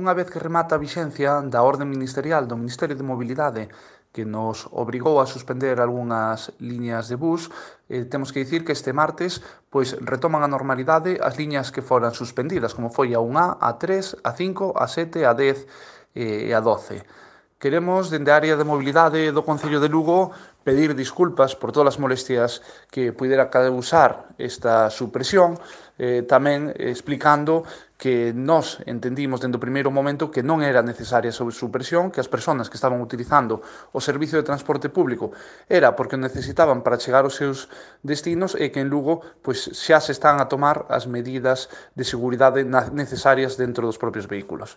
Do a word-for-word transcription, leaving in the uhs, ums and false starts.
unha vez que remata a vixencia da orde ministerial do Ministerio de Mobilidade que nos obrigou a suspender algunhas liñas de bus, eh, temos que dicir que este martes pois retoman a normalidade as liñas que foran suspendidas, como foi a un A, a tres, a cinco, a sete, a dez e a doce. Queremos, dende a área de mobilidade do Concello de Lugo, pedir disculpas por todas as molestias que pudera causar esta supresión, eh, tamén explicando que nós entendimos dende o primeiro momento que non era necesaria esa supresión, que as persoas que estaban utilizando o servicio de transporte público era porque o necesitaban para chegar aos seus destinos e que en Lugo pois, xa se están a tomar as medidas de seguridade necesarias dentro dos propios vehículos.